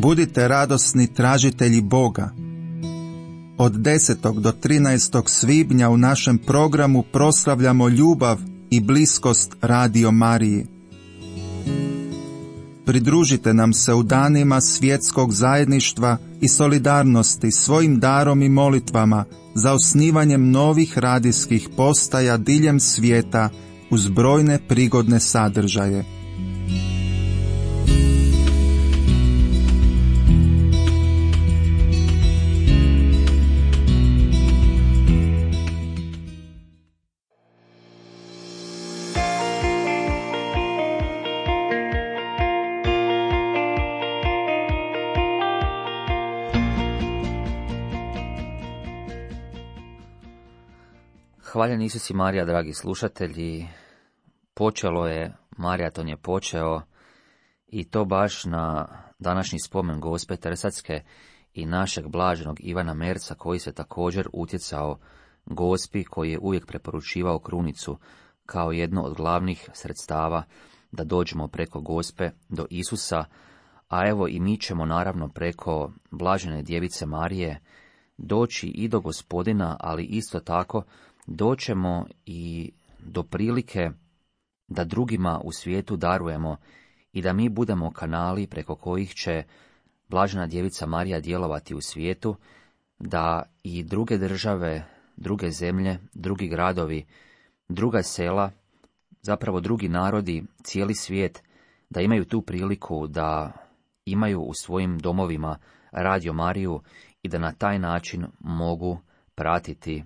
Budite radosni tražitelji Boga. Od 10. do 13. svibnja u našem programu proslavljamo ljubav i bliskost Radio Mariji. Pridružite nam se u danima svjetskog zajedništva i solidarnosti svojim darom i molitvama za osnivanjem novih radijskih postaja diljem svijeta uz brojne prigodne sadržaje. Hvaljen Isus i Marija, dragi slušatelji. Počelo je, maraton je počeo i to baš na današnji spomen Gospe Trsatske i našeg blaženog Ivana Merca, koji se također utjecao Gospi, koji je uvijek preporučivao krunicu kao jedno od glavnih sredstava da dođemo preko Gospe do Isusa, a evo i mi ćemo naravno preko blažene djevice Marije doći i do Gospodina, ali isto tako doćemo i do prilike da drugima u svijetu darujemo i da mi budemo kanali preko kojih će blažena djevica Marija djelovati u svijetu, da i druge države, druge zemlje, drugi gradovi, druga sela, zapravo drugi narodi, cijeli svijet, da imaju tu priliku da imaju u svojim domovima Radio Mariju i da na taj način mogu pratiti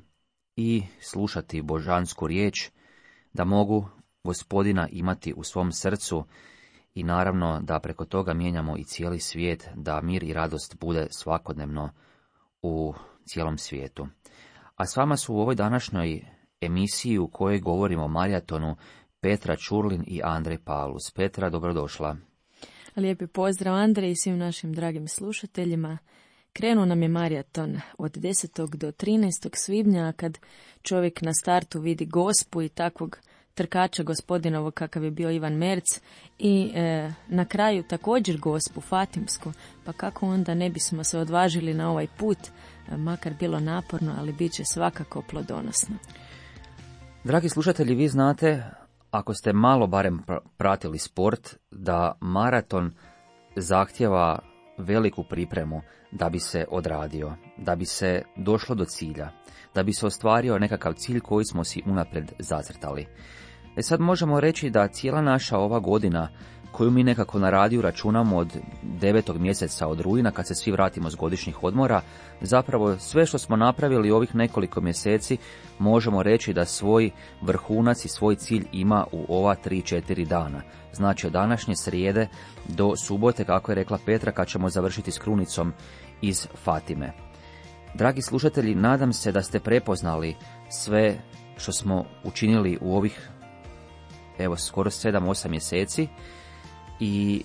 i slušati božansku riječ, da mogu Gospodina imati u svom srcu i naravno da preko toga mijenjamo i cijeli svijet, da mir i radost bude svakodnevno u cijelom svijetu. A s vama su u ovoj današnjoj emisiji u kojoj govorimo o maratonu Petra Čurlin i Andrej Paulus. Petra, dobrodošla. Lijepi pozdrav Andrej i svim našim dragim slušateljima. Krenuo nam je maraton od 10. do 13. svibnja, kad čovjek na startu vidi Gospu i takvog trkača Gospodinovog kakav je bio Ivan Merc i na kraju također Gospu Fatimsku, pa kako onda ne bismo se odvažili na ovaj put, makar bilo naporno, ali bit će svakako plodonosno. Dragi slušatelji, vi znate, ako ste malo barem pratili sport, da maraton zahtjeva veliku pripremu da bi se odradio, da bi se došlo do cilja, da bi se ostvario nekakav cilj koji smo si unaprijed zacrtali. Sad možemo reći da cijela naša ova godina, koju mi nekako na radiju računamo od 9. mjeseca, od rujna, kad se svi vratimo s godišnjih odmora, zapravo sve što smo napravili ovih nekoliko mjeseci, možemo reći da svoj vrhunac i svoj cilj ima u ova 3-4 dana. Znači od današnje srijede do subote, kako je rekla Petra, kad ćemo završiti s krunicom iz Fatime. Dragi slušatelji, nadam se da ste prepoznali sve što smo učinili u ovih, evo, skoro 7-8 mjeseci i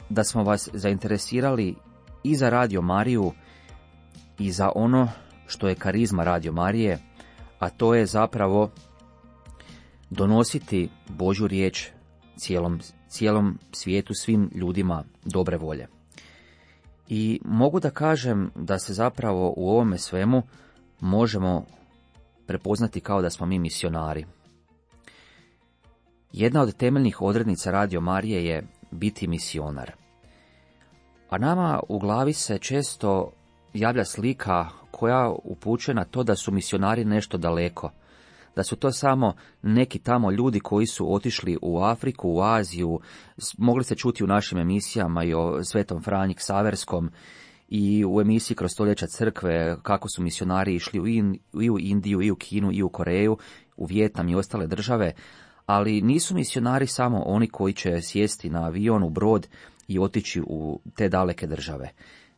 da smo vas zainteresirali i za Radio Mariju i za ono što je karizma Radio Marije, a to je zapravo donositi Božju riječ cijelom svijetu, svim ljudima dobre volje. I mogu da kažem da se zapravo u ovome svemu možemo prepoznati kao da smo mi misionari. Jedna od temeljnih odrednica Radio Marije je biti misionar. A nama u glavi se često javlja slika koja upućuje na to da su misionari nešto daleko, da su to samo neki tamo ljudi koji su otišli u Afriku, u Aziju. Mogli ste čuti u našim emisijama i o Svetom Franji Ksaverskom i u emisiji Kroz stoljeća crkve kako su misionari išli i u Indiju, i u Kinu, i u Koreju, u Vijetnam i ostale države, ali nisu misionari samo oni koji će sjesti na avion, u brod i otići u te daleke države.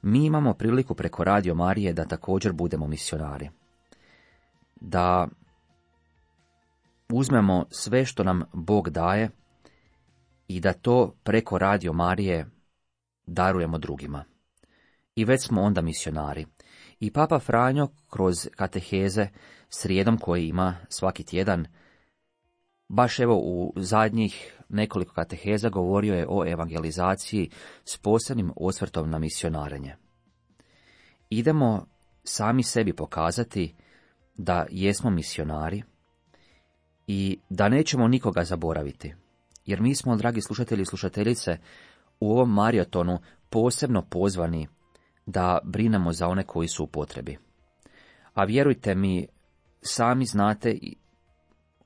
Mi imamo priliku preko Radio Marije da također budemo misionari. Da uzmemo sve što nam Bog daje i da to preko Radio Marije darujemo drugima. I već smo onda misionari. I Papa Franjo kroz kateheze srijedom koje ima svaki tjedan, baš evo u zadnjih nekoliko kateheza govorio je o evangelizaciji s posebnim osvrtom na misionarenje. Idemo sami sebi pokazati da jesmo misionari i da nećemo nikoga zaboraviti. Jer mi smo, dragi slušatelji i slušateljice, u ovom maratonu posebno pozvani da brinemo za one koji su u potrebi. A vjerujte mi, sami znate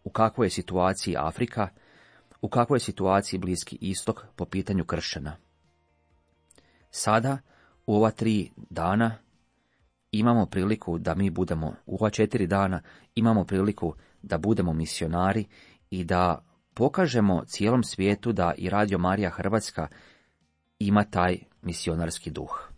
u kakvoj je situaciji Afrika, u kakvoj je situaciji Bliski istok po pitanju kršćana. Sada, u ova 3 dana, imamo priliku da mi budemo, u ova 4 dana, imamo priliku da budemo misionari i da pokažemo cijelom svijetu da i Radio Marija Hrvatska ima taj misionarski duh.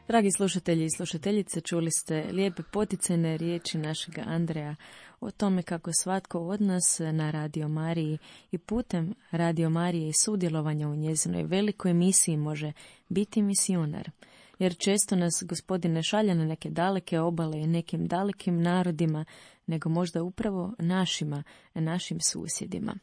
Dragi slušatelji i slušateljice, čuli ste lijepe poticajne riječi našega Andreja o tome kako svatko od nas na Radio Mariji i putem Radio Marije i sudjelovanja u njezinoj velikoj misiji može biti misionar. Jer često nas Gospodin ne šalje na neke daleke obale i nekim dalekim narodima, nego možda upravo našim susjedima.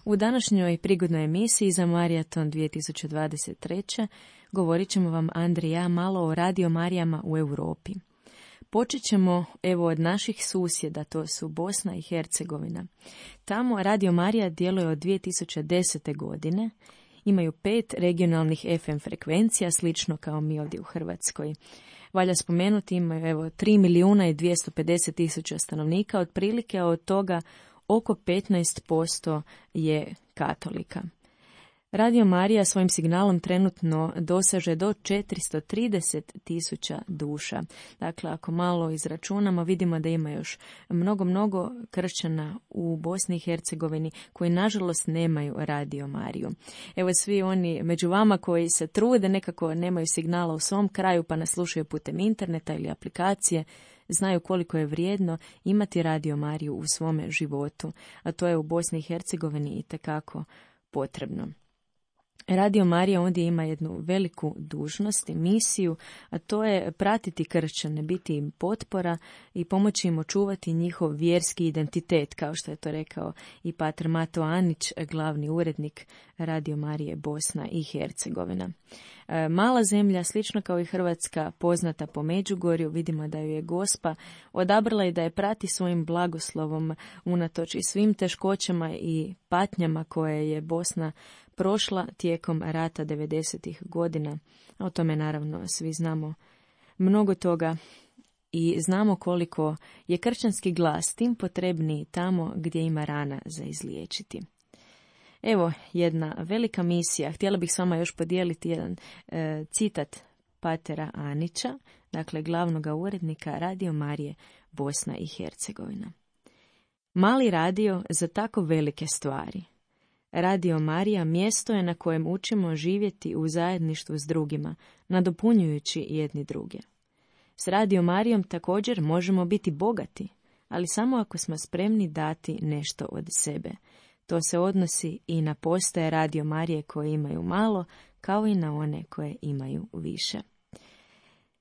U današnjoj prigodnoj emisiji za Maraton 2023. govorit ćemo vam, Andrija i ja, malo o Radio Marijama u Europi. Počet ćemo od naših susjeda, to su Bosna i Hercegovina. Tamo Radio Marija djeluje od 2010. godine. Imaju 5 regionalnih FM frekvencija, slično kao mi ovdje u Hrvatskoj. Valja spomenuti, imaju 3.250.000 stanovnika, otprilike, a od toga oko 15% je katolika. Radio Marija svojim signalom trenutno dosaže do 430.000 duša. Dakle, ako malo izračunamo, vidimo da ima još mnogo kršćana u Bosni i Hercegovini koji nažalost nemaju Radio Mariju. Evo, svi oni među vama koji se trude, nekako nemaju signala u svom kraju pa nas slušaju putem interneta ili aplikacije, znaju koliko je vrijedno imati Radio Mariju u svome životu, a to je u Bosni i Hercegovini itekako potrebno. Radio Marija ondje ima jednu veliku dužnost i misiju, a to je pratiti kršćane, biti im potpora i pomoći im očuvati njihov vjerski identitet, kao što je to rekao i pater Mato Anić, glavni urednik Radio Marije Bosna i Hercegovina. Mala zemlja, slično kao i Hrvatska, poznata po Međugorju, vidimo da ju je Gospa odabrala i da je prati svojim blagoslovom unatoč i svim teškoćama i patnjama koje je Bosna prošla tijekom rata 90. godina. O tome naravno svi znamo mnogo toga i znamo koliko je kršćanski glas tim potrebniji tamo gdje ima rana za izliječiti. Evo jedna velika misija. Htjela bih s vama još podijeliti jedan citat patera Anića, dakle glavnog urednika Radio Marije Bosna i Hercegovina. Mali radio za tako velike stvari. Radio Marija mjesto je na kojem učimo živjeti u zajedništvu s drugima, nadopunjujući jedni druge. S Radio Marijom također možemo biti bogati, ali samo ako smo spremni dati nešto od sebe. To se odnosi i na postaje Radio Marije koje imaju malo, kao i na one koje imaju više.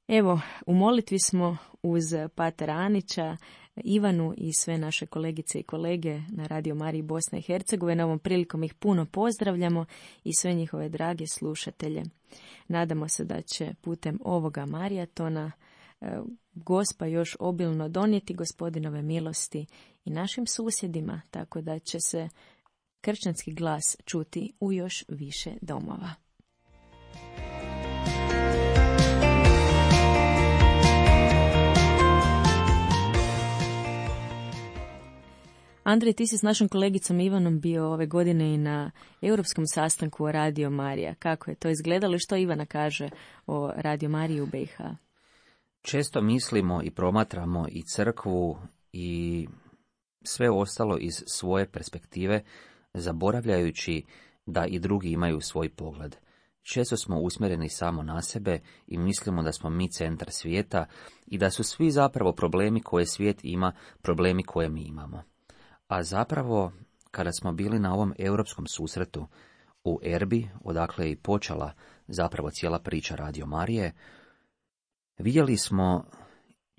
Evo, u molitvi smo uz patera Anića, Ivanu i sve naše kolegice i kolege na Radio Mariji Bosna i Hercegovina. Ovom prilikom ih puno pozdravljamo i sve njihove drage slušatelje. Nadamo se da će putem ovoga maratona Gospa još obilno donijeti Gospodinove milosti i našim susjedima, tako da će se kršćanski glas čuti u još više domova. Andrej, ti si s našom kolegicom Ivanom bio ove godine i na europskom sastanku o Radio Marija. Kako je to izgledalo i što Ivana kaže o Radio Mariji u BiH? Često mislimo i promatramo i crkvu i sve ostalo iz svoje perspektive, zaboravljajući da i drugi imaju svoj pogled. Često smo usmjereni samo na sebe i mislimo da smo mi centar svijeta i da su svi zapravo problemi koje svijet ima, problemi koje mi imamo. A zapravo, kada smo bili na ovom europskom susretu u Erbi, odakle je i počela zapravo cijela priča Radio Marije, vidjeli smo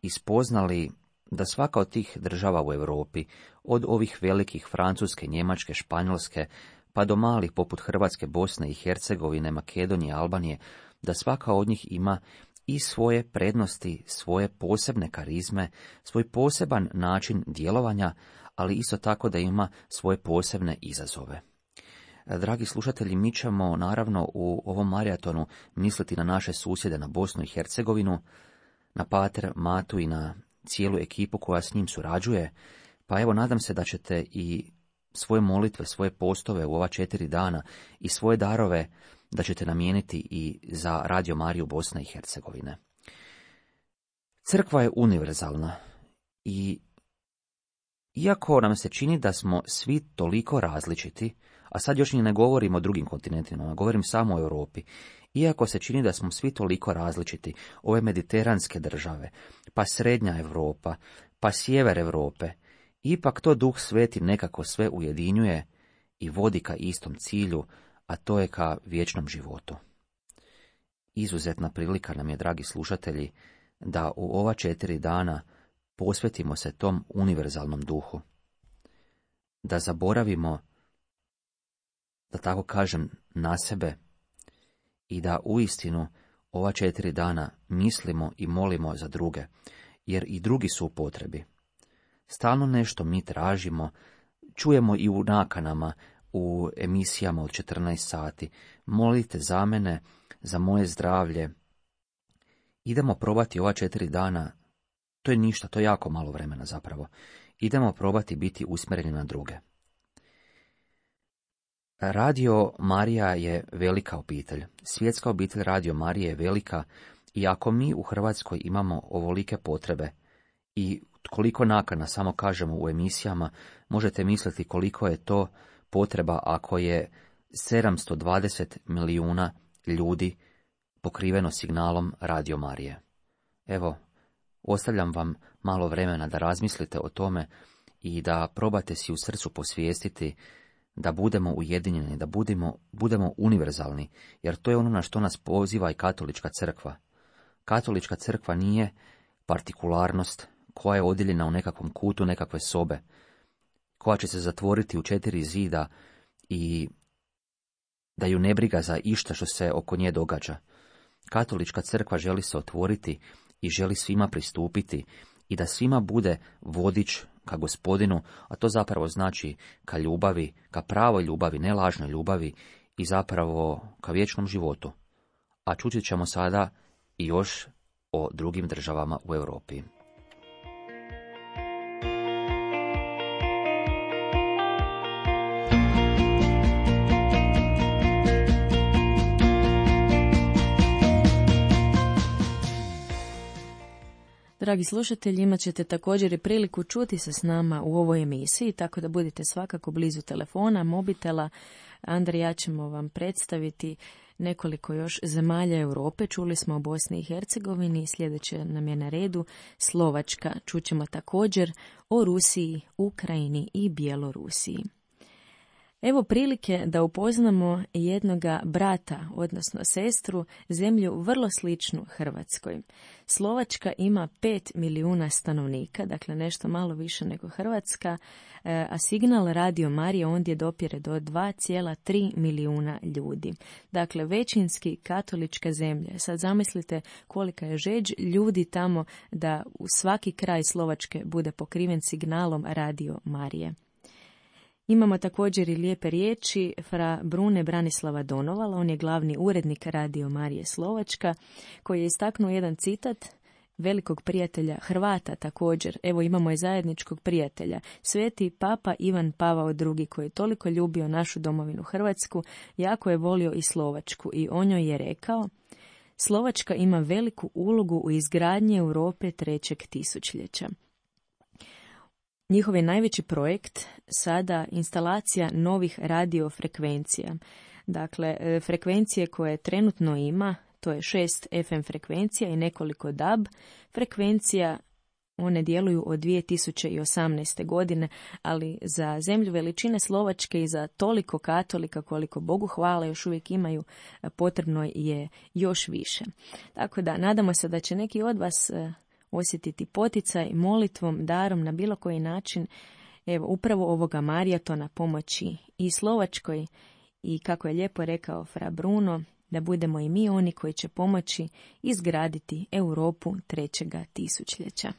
i spoznali da svaka od tih država u Europi, od ovih velikih Francuske, Njemačke, Španjolske, pa do malih poput Hrvatske, Bosne i Hercegovine, Makedonije, Albanije, da svaka od njih ima i svoje prednosti, svoje posebne karizme, svoj poseban način djelovanja, ali isto tako da ima svoje posebne izazove. Dragi slušatelji, mi ćemo naravno u ovom maratonu misliti na naše susjede, na Bosnu i Hercegovinu, na Pater Matu i na cijelu ekipu koja s njim surađuje, pa evo nadam se da ćete i svoje molitve, svoje postove u ova 4 dana i svoje darove da ćete namijeniti i za Radio Mariju Bosne i Hercegovine. Crkva je univerzalna i iako nam se čini da smo svi toliko različiti, a sad još ni ne govorim o drugim kontinentima, govorim samo o Europi, iako se čini da smo svi toliko različiti, ove mediteranske države, pa srednja Europa, pa sjever Europe, ipak to Duh Sveti nekako sve ujedinjuje i vodi ka istom cilju, a to je ka vječnom životu. Izuzetna prilika nam je, dragi slušatelji, da u ova 4 dana posvetimo se tom univerzalnom duhu. Da zaboravimo, da tako kažem, na sebe i da uistinu ova 4 dana mislimo i molimo za druge, jer i drugi su u potrebi. Stalno nešto mi tražimo, čujemo i u nakanama, u emisijama od 14 sati. Molite za mene, za moje zdravlje. Idemo probati ova 4 dana, to je ništa, to je jako malo vremena zapravo. Idemo probati biti usmjereni na druge. Radio Marija je velika obitelj. Svjetska obitelj Radio Marije je velika i ako mi u Hrvatskoj imamo ovolike potrebe i koliko nakana samo kažemo u emisijama, možete misliti koliko je to potreba ako je 720 milijuna ljudi pokriveno signalom Radio Marije. Evo, ostavljam vam malo vremena da razmislite o tome i da probate si u srcu posvijestiti da budemo ujedinjeni, da budemo univerzalni, jer to je ono na što nas poziva i katolička crkva. Katolička crkva nije partikularnost koja je odjeljena u nekakvom kutu nekakve sobe, koja će se zatvoriti u 4 zida i da ju ne briga za išta što se oko nje događa. Katolička crkva želi se otvoriti i želi svima pristupiti i da svima bude vodič ka Gospodinu, a to zapravo znači ka ljubavi, ka pravoj ljubavi, ne lažnoj ljubavi i zapravo ka vječnom životu. A čuti ćemo sada i još o drugim državama u Europi. Dragi slušatelji, imat ćete također i priliku čuti se s nama u ovoj emisiji, tako da budite svakako blizu telefona, mobitela. Andrej, ja ćemo vam predstaviti nekoliko još zemalja Europe. Čuli smo o Bosni i Hercegovini, sljedeće nam je na redu Slovačka. Čućemo također o Rusiji, Ukrajini i Bjelorusiji. Evo prilike da upoznamo jednoga brata, odnosno sestru, zemlju vrlo sličnu Hrvatskoj. Slovačka ima 5 milijuna stanovnika, dakle nešto malo više nego Hrvatska, a signal Radio Marije ondje dopire do 2,3 milijuna ljudi. Dakle, većinski katolička zemlja. Sad zamislite kolika je žeđ ljudi tamo da u svaki kraj Slovačke bude pokriven signalom Radio Marije. Imamo također i lijepe riječi fra Brune Branislava Donovala, on je glavni urednik Radio Marije Slovačka, koji je istaknuo jedan citat velikog prijatelja Hrvata također. Evo imamo i zajedničkog prijatelja, sveti Papa Ivan Pavao II, koji je toliko ljubio našu domovinu Hrvatsku, jako je volio i Slovačku i o njoj je rekao: Slovačka ima veliku ulogu u izgradnji Europe 3. tisućljeća. Njihov je najveći projekt sada instalacija novih radiofrekvencija. Dakle, frekvencije koje trenutno ima, to je 6 FM frekvencija i nekoliko DAB frekvencija. One djeluju od 2018. godine, ali za zemlju veličine Slovačke i za toliko katolika koliko Bogu hvala još uvijek imaju, potrebno je još više. Tako da nadamo se da će neki od vas osjetiti poticaj molitvom, darom na bilo koji način, evo upravo ovoga maratona pomoći i Slovačkoj i kako je lijepo rekao fra Bruno, da budemo i mi oni koji će pomoći izgraditi Europu 3. tisućljeća.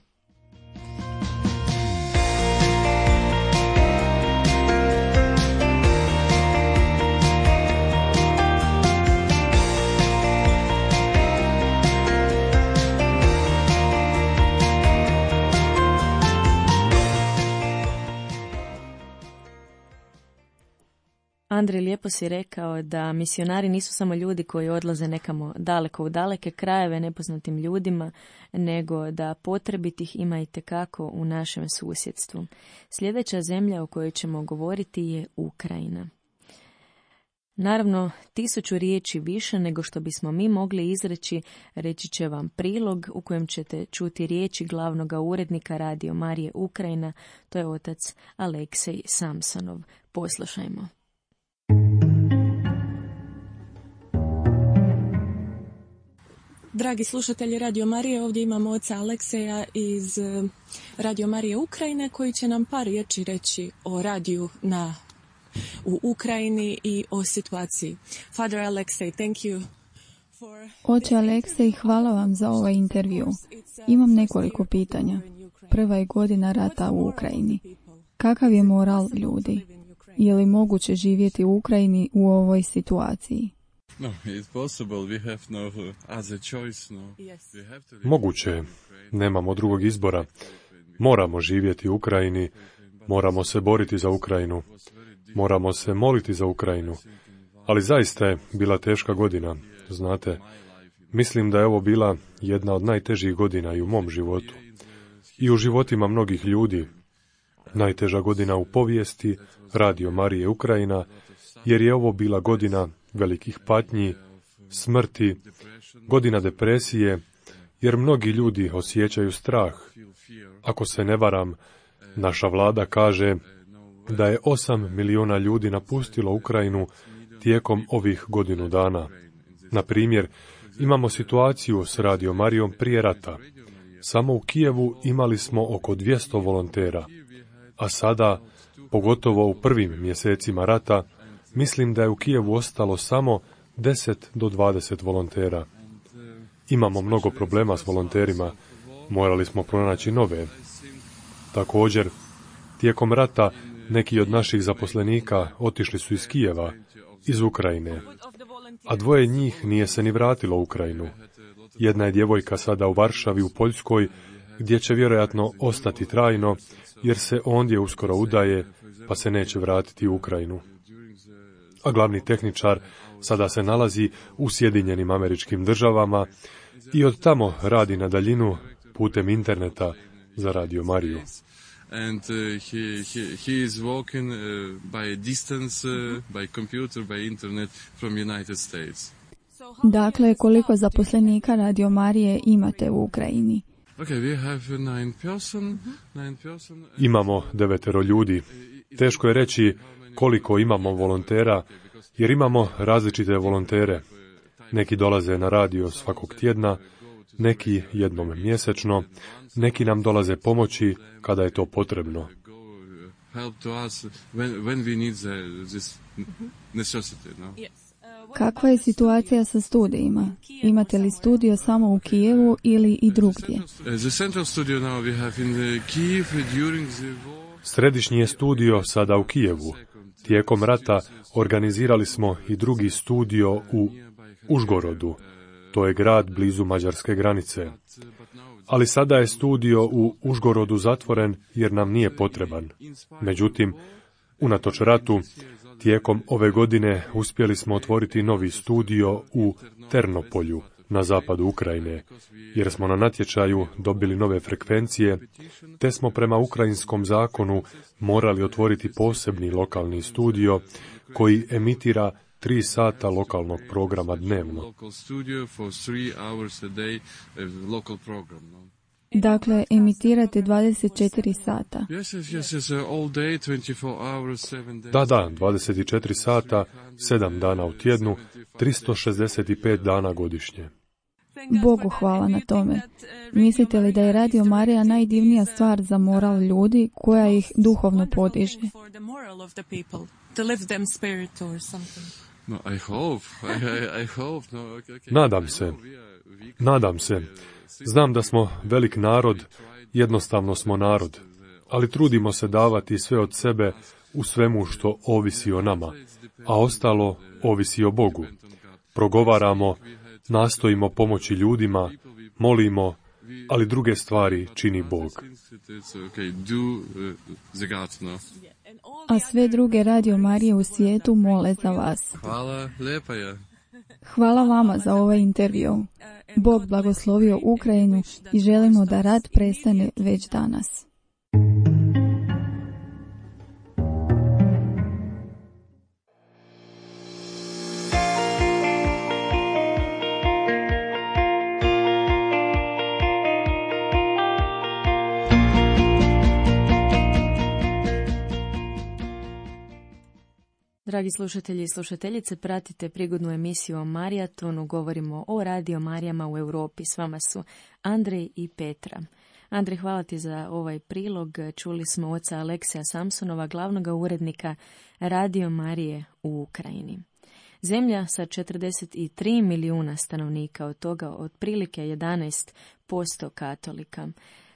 Andrej, lijepo si rekao da misionari nisu samo ljudi koji odlaze nekamo daleko u daleke krajeve nepoznatim ljudima, nego da potrebitih ima itekako u našem susjedstvu. Sljedeća zemlja o kojoj ćemo govoriti je Ukrajina. Naravno, 1000 riječi više nego što bismo mi mogli izreći, reći će vam prilog u kojem ćete čuti riječi glavnog urednika Radio Marije Ukrajina, to je otac Aleksej Samsonov. Poslušajmo. Dragi slušatelji Radio Marije, ovdje imamo oca Alekseja iz Radio Marije Ukrajine koji će nam par riječi reći o radiju u Ukrajini i o situaciji. Father Alexei, thank you. Oče Aleksej, hvala vam za ovaj intervju. Imam nekoliko pitanja. Prva je godina rata u Ukrajini. Kakav je moral ljudi? Je li moguće živjeti u Ukrajini u ovoj situaciji? Moguće, nemamo drugog izbora. Moramo živjeti u Ukrajini, moramo se boriti za Ukrajinu, moramo se moliti za Ukrajinu. Ali zaista je bila teška godina, znate. Mislim da je ovo bila jedna od najtežih godina i u mom životu. I u životima mnogih ljudi. Najteža godina u povijesti Radio Marije Ukrajina, jer je ovo bila godina velikih patnji, smrti, godina depresije, jer mnogi ljudi osjećaju strah. Ako se ne varam, naša vlada kaže da je 8 milijuna ljudi napustilo Ukrajinu tijekom ovih godinu dana. Na primjer, imamo situaciju s Radio Marijom prije rata. Samo u Kijevu imali smo oko 200 volontera, a sada, pogotovo u prvim mjesecima rata, mislim da je u Kijevu ostalo samo 10 do 20 volontera. Imamo mnogo problema s volonterima, morali smo pronaći nove. Također, tijekom rata neki od naših zaposlenika otišli su iz Kijeva, iz Ukrajine, a 2 njih nije se ni vratilo u Ukrajinu. Jedna je djevojka sada u Varšavi u Poljskoj, gdje će vjerojatno ostati trajno, jer se ondje uskoro udaje, pa se neće vratiti u Ukrajinu. A glavni tehničar sada se nalazi u Sjedinjenim Američkim Državama i od tamo radi na daljinu putem interneta za Radio Mariju. And he is working by distance, by computer, by internet from United States. Dakle, koliko zaposlenika Radio Marije imate u Ukrajini? Okay, we have 9 person. Imamo 9 ljudi. Teško je reći koliko imamo volontera, jer imamo različite volontere. Neki dolaze na radio svakog tjedna, neki jednom mjesečno, neki nam dolaze pomoći kada je to potrebno. Kakva je situacija sa studijima? Imate li studio samo u Kijevu ili i drugdje? Središnji je studio sada u Kijevu. Tijekom rata organizirali smo i drugi studio u Užgorodu. To je grad blizu mađarske granice. Ali sada je studio u Užgorodu zatvoren jer nam nije potreban. Međutim, unatoč ratu, tijekom ove godine uspjeli smo otvoriti novi studio u Ternopolju, na zapadu Ukrajine, jer smo na natječaju dobili nove frekvencije, te smo prema ukrajinskom zakonu morali otvoriti posebni lokalni studio koji emitira 3 sata lokalnog programa dnevno. Dakle, emitirate 24 sata. Da, 24 sata, 7 dana u tjednu, 365 dana godišnje. Bogu hvala na tome. Mislite li da je Radio Marija najdivnija stvar za moral ljudi koja ih duhovno podiže? Nadam se. Znam da smo velik narod, jednostavno smo narod, ali trudimo se davati sve od sebe u svemu što ovisi o nama, a ostalo ovisi o Bogu. Progovaramo, nastojimo pomoći ljudima, molimo, ali druge stvari čini Bog. A sve druge Radio Marije u svijetu mole za vas. Hvala, lijepa je. Hvala vama za ovaj intervju. Bog blagoslovio Ukrajinu i želimo da rat prestane već danas. Dragi slušatelji i slušateljice, pratite prigodnu emisiju o Marijatonu. Govorimo o Radio Marijama u Europi. S vama su Andrej i Petra. Andrej, hvala ti za ovaj prilog. Čuli smo oca Aleksija Samsonova, glavnog urednika Radio Marije u Ukrajini. Zemlja sa 43 milijuna stanovnika, od toga otprilike 11% katolika.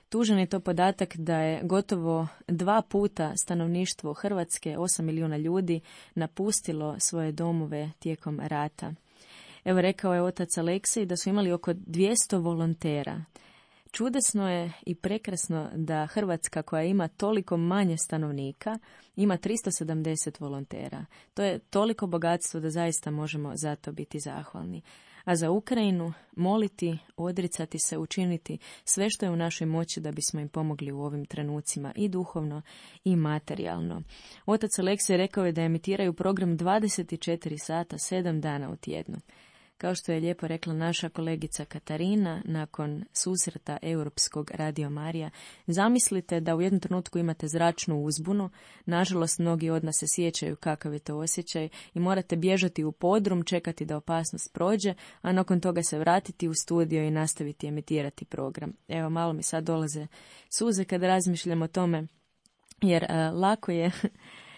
Tužan je to podatak da je gotovo 2 puta stanovništvo Hrvatske, 8 milijuna ljudi, napustilo svoje domove tijekom rata. Evo, rekao je otac Aleksij da su imali oko 200 volontera. Čudesno je i prekrasno da Hrvatska, koja ima toliko manje stanovnika, ima 370 volontera. To je toliko bogatstvo da zaista možemo za to biti zahvalni. A za Ukrajinu moliti, odricati se, učiniti sve što je u našoj moći da bismo im pomogli u ovim trenucima i duhovno i materijalno. Otac Aleksij rekao je da emitiraju program 24 sata, 7 dana u tjednu. Kao što je lijepo rekla naša kolegica Katarina, nakon susreta Europskog Radio Marija, zamislite da u jednom trenutku imate zračnu uzbunu, nažalost mnogi od nas se sjećaju kakav je to osjećaj i morate bježati u podrum, čekati da opasnost prođe, a nakon toga se vratiti u studio i nastaviti emitirati program. Evo, malo mi sad dolaze suze kad razmišljam o tome, jer lako je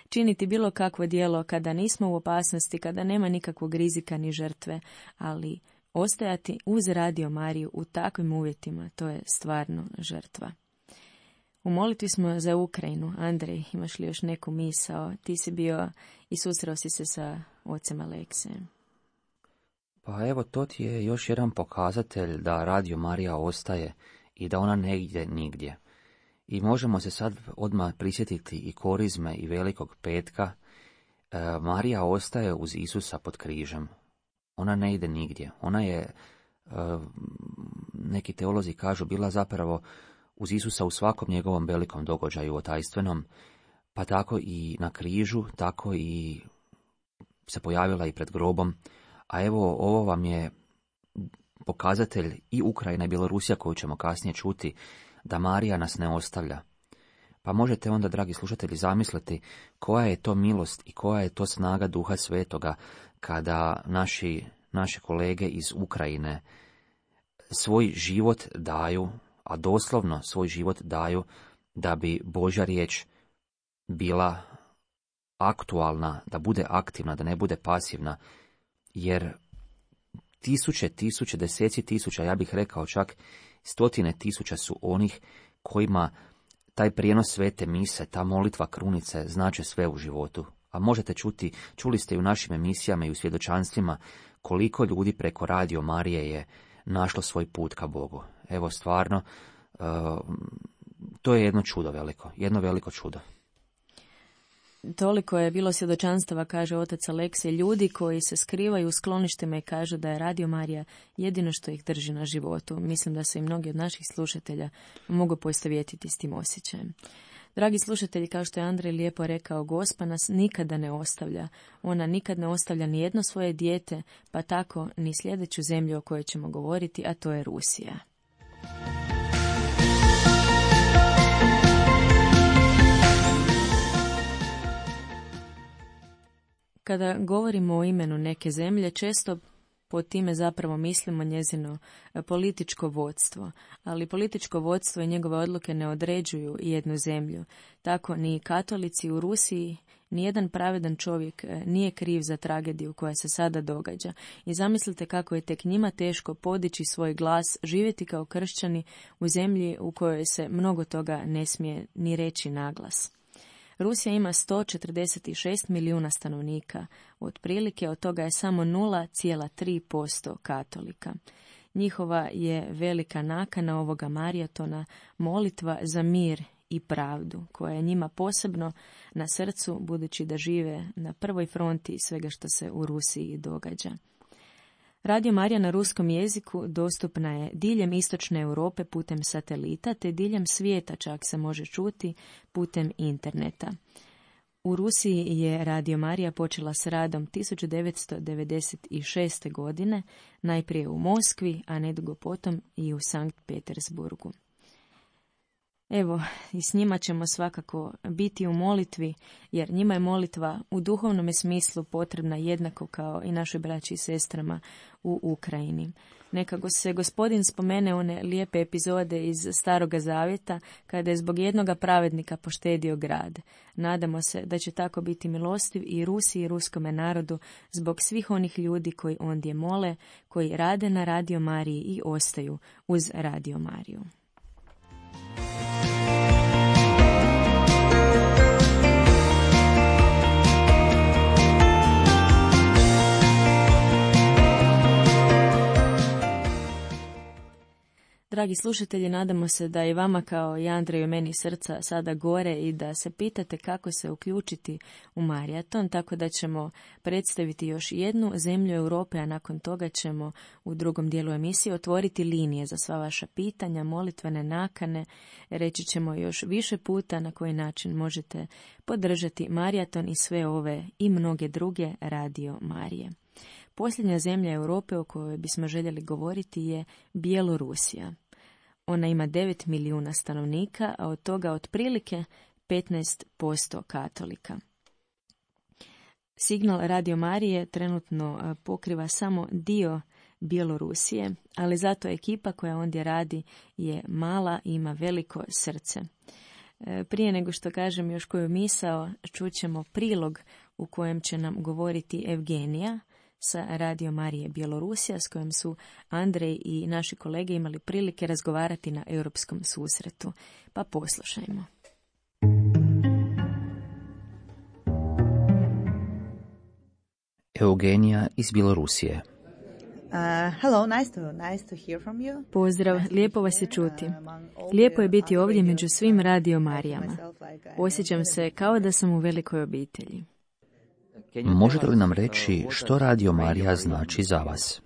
činiti bilo kakvo djelo kada nismo u opasnosti, kada nema nikakvog rizika ni žrtve, ali ostajati uz Radio Mariju u takvim uvjetima, to je stvarno žrtva. U molitvi smo za Ukrajinu. Andrej, imaš li još neku misao? Ti si bio i susreo si se sa ocem Aleksijem. Pa evo, to ti je još jedan pokazatelj da Radio Marija ostaje i da ona ne ide nigdje. I možemo se sad odmah prisjetiti i korizme i Velikog petka. Marija ostaje uz Isusa pod križem. Ona ne ide nigdje. Ona je, neki teolozi kažu, bila zapravo uz Isusa u svakom njegovom velikom događaju otajstvenom, pa tako i na križu, tako i se pojavila i pred grobom. A evo, ovo vam je pokazatelj i Ukrajina i Bjelorusija, koju ćemo kasnije čuti, da Marija nas ne ostavlja. Pa možete onda, dragi slušatelji, zamisliti koja je to milost i koja je to snaga Duha Svetoga kada naše kolege iz Ukrajine svoj život daju, a doslovno svoj život daju, da bi Božja riječ bila aktualna, da bude aktivna, da ne bude pasivna, jer tisuće, deseci tisuća, ja bih rekao čak 100.000 su onih kojima taj prijenos svete mise, ta molitva krunice znače sve u životu. A možete čuli ste i u našim emisijama i u svjedočanstvima koliko ljudi preko Radio Marije je našlo svoj put ka Bogu. Evo, stvarno, to je jedno čudo veliko, jedno veliko čudo. toliko je bilo svjedočanstava, kaže otac Aleksej, ljudi koji se skrivaju u skloništima i kažu da je Radio Marija jedino što ih drži na životu. Mislim da se i mnogi od naših slušatelja mogu poistovjetiti s tim osjećajem. Dragi slušatelji, kao što je Andrej lijepo rekao, Gospa nas nikada ne ostavlja. Ona nikad ne ostavlja ni jedno svoje dijete, pa tako ni sljedeću zemlju o kojoj ćemo govoriti, a to je Rusija. Kada govorimo o imenu neke zemlje, često pod time zapravo mislimo njezino političko vodstvo, ali političko vodstvo i njegove odluke ne određuju jednu zemlju. Tako ni katolici u Rusiji, ni jedan pravedan čovjek nije kriv za tragediju koja se sada događa. I zamislite kako je tek njima teško podići svoj glas, živjeti kao kršćani u zemlji u kojoj se mnogo toga ne smije ni reći naglas. Rusija ima 146 milijuna stanovnika, otprilike od toga je samo 0,3% katolika. Njihova je velika nakana ovoga maratona molitva za mir i pravdu, koja je njima posebno na srcu, budući da žive na prvoj fronti svega što se u Rusiji događa. Radio Marija na ruskom jeziku dostupna je diljem istočne Europe putem satelita, te diljem svijeta čak se može čuti putem interneta. U Rusiji je Radio Marija počela s radom 1996. godine, najprije u Moskvi, a nedugo potom i u Sankt Petersburgu. Evo, i s njima ćemo svakako biti u molitvi, jer njima je molitva u duhovnom smislu potrebna jednako kao i našoj braći i sestrama u Ukrajini. Neka se Gospodin spomene one lijepe epizode iz Staroga Zavjeta, kada je zbog jednoga pravednika poštedio grad. Nadamo se da će tako biti milostiv i Rusiji i ruskome narodu zbog svih onih ljudi koji ondje mole, koji rade na Radio Mariji i ostaju uz Radio Mariju. Dragi slušatelji, nadamo se da i vama kao i Andreju meni srca sada gore i da se pitate kako se uključiti u maraton, tako da ćemo predstaviti još jednu zemlju Europe, a nakon toga ćemo u drugom dijelu emisije otvoriti linije za sva vaša pitanja, molitvene nakane. Reći ćemo još više puta na koji način možete podržati maraton i sve ove i mnoge druge Radio Marije. Posljednja zemlja Europe o kojoj bismo željeli govoriti je Bjelorusija. Ona ima 9 milijuna stanovnika, a od toga otprilike 15% katolika. Signal Radio Marije trenutno pokriva samo dio Bjelorusije, ali zato ekipa koja ondje radi je mala i ima veliko srce. Prije nego što kažem još koju misao, čućemo prilog u kojem će nam govoriti Evgenija sa Radio Marije Bjelorusija, s kojim su Andrej i naši kolege imali prilike razgovarati na europskom susretu. Pa poslušajmo. Eugenija iz Bjelorusije. Hello, nice to hear from you. Pozdrav, lijepo vas je čuti. Lijepo je biti ovdje među svim Radio Marijama. Osjećam se kao da sam u velikoj obitelji. Možete li nam reći što Radio Marija znači za vas?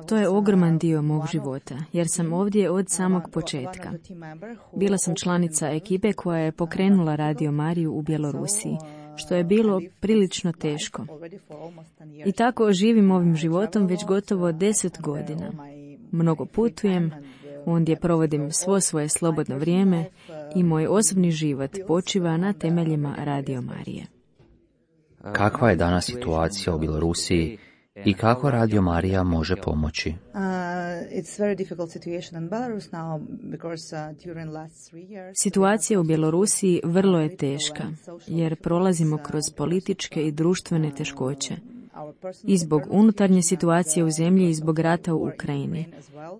To je ogroman dio mog života, jer sam ovdje od samog početka. Bila sam članica ekipe koja je pokrenula Radio Mariju u Bjelorusiji, što je bilo prilično teško. I tako živim ovim životom već gotovo 10 godina. Mnogo putujem, ondje provodim svo svoje slobodno vrijeme i moj osobni život počiva na temeljima Radio Marije. Kakva je danas situacija u Bjelorusiji i kako Radio Marija može pomoći? Situacija u Bjelorusiji vrlo je teška, jer prolazimo kroz političke i društvene teškoće. I zbog unutarnje situacije u zemlji i zbog rata u Ukrajini,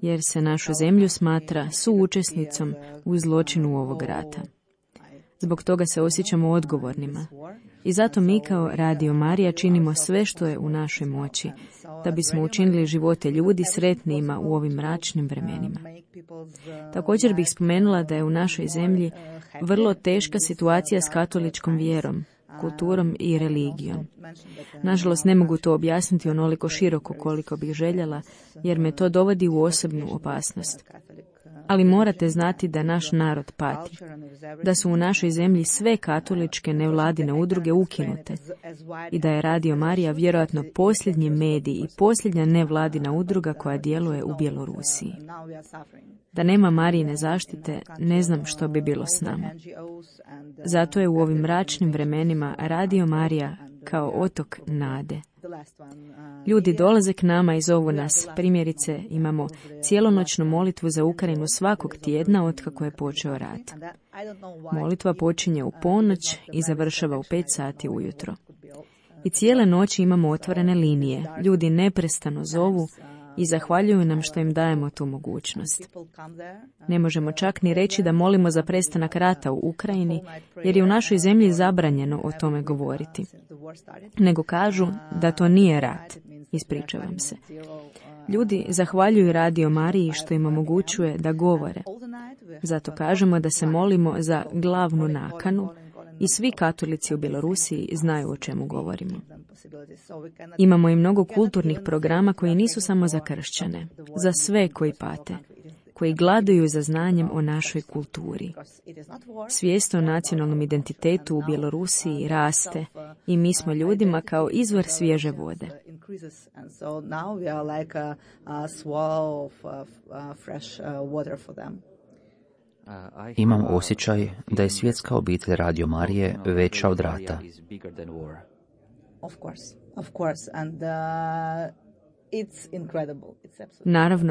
jer se našu zemlju smatra suučesnicom u zločinu ovog rata. Zbog toga se osjećamo odgovornima. I zato mi kao Radio Marija činimo sve što je u našoj moći, da bismo učinili živote ljudi sretnijima u ovim mračnim vremenima. Također bih spomenula da je u našoj zemlji vrlo teška situacija s katoličkom vjerom, kulturom i religijom. Nažalost, ne mogu to objasniti onoliko široko koliko bih željela, jer me to dovodi u osobnu opasnost. Ali morate znati da naš narod pati, da su u našoj zemlji sve katoličke nevladine udruge ukinute i da je Radio Marija vjerojatno posljednji medij i posljednja nevladina udruga koja djeluje u Bjelorusiji. Da nema Marijine zaštite, ne znam što bi bilo s nama. Zato je u ovim mračnim vremenima Radio Marija kao otok nade. Ljudi dolaze k nama i zovu nas. Primjerice, imamo cijelonoćnu molitvu za Ukrajinu svakog tjedna otkako je počeo rat. Molitva počinje u ponoć i završava u 5 sati ujutro. I cijele noći imamo otvorene linije. Ljudi neprestano zovu i zahvaljuju nam što im dajemo tu mogućnost. Ne možemo čak ni reći da molimo za prestanak rata u Ukrajini, jer je u našoj zemlji zabranjeno o tome govoriti. Nego kažu da to nije rat. Ispričavam se. Ljudi zahvaljuju Radio Mariji što im omogućuje da govore. Zato kažemo da se molimo za glavnu nakanu i svi katolici u Bjelorusiji znaju o čemu govorimo. Imamo i mnogo kulturnih programa koji nisu samo za kršćane, za sve koji pate, koji gladuju za znanjem o našoj kulturi. Svijest o nacionalnom identitetu u Bjelorusiji raste i mi smo ljudima kao izvor svježe vode. Imam osjećaj da je svjetska obitelj Radio Marije veća od rata.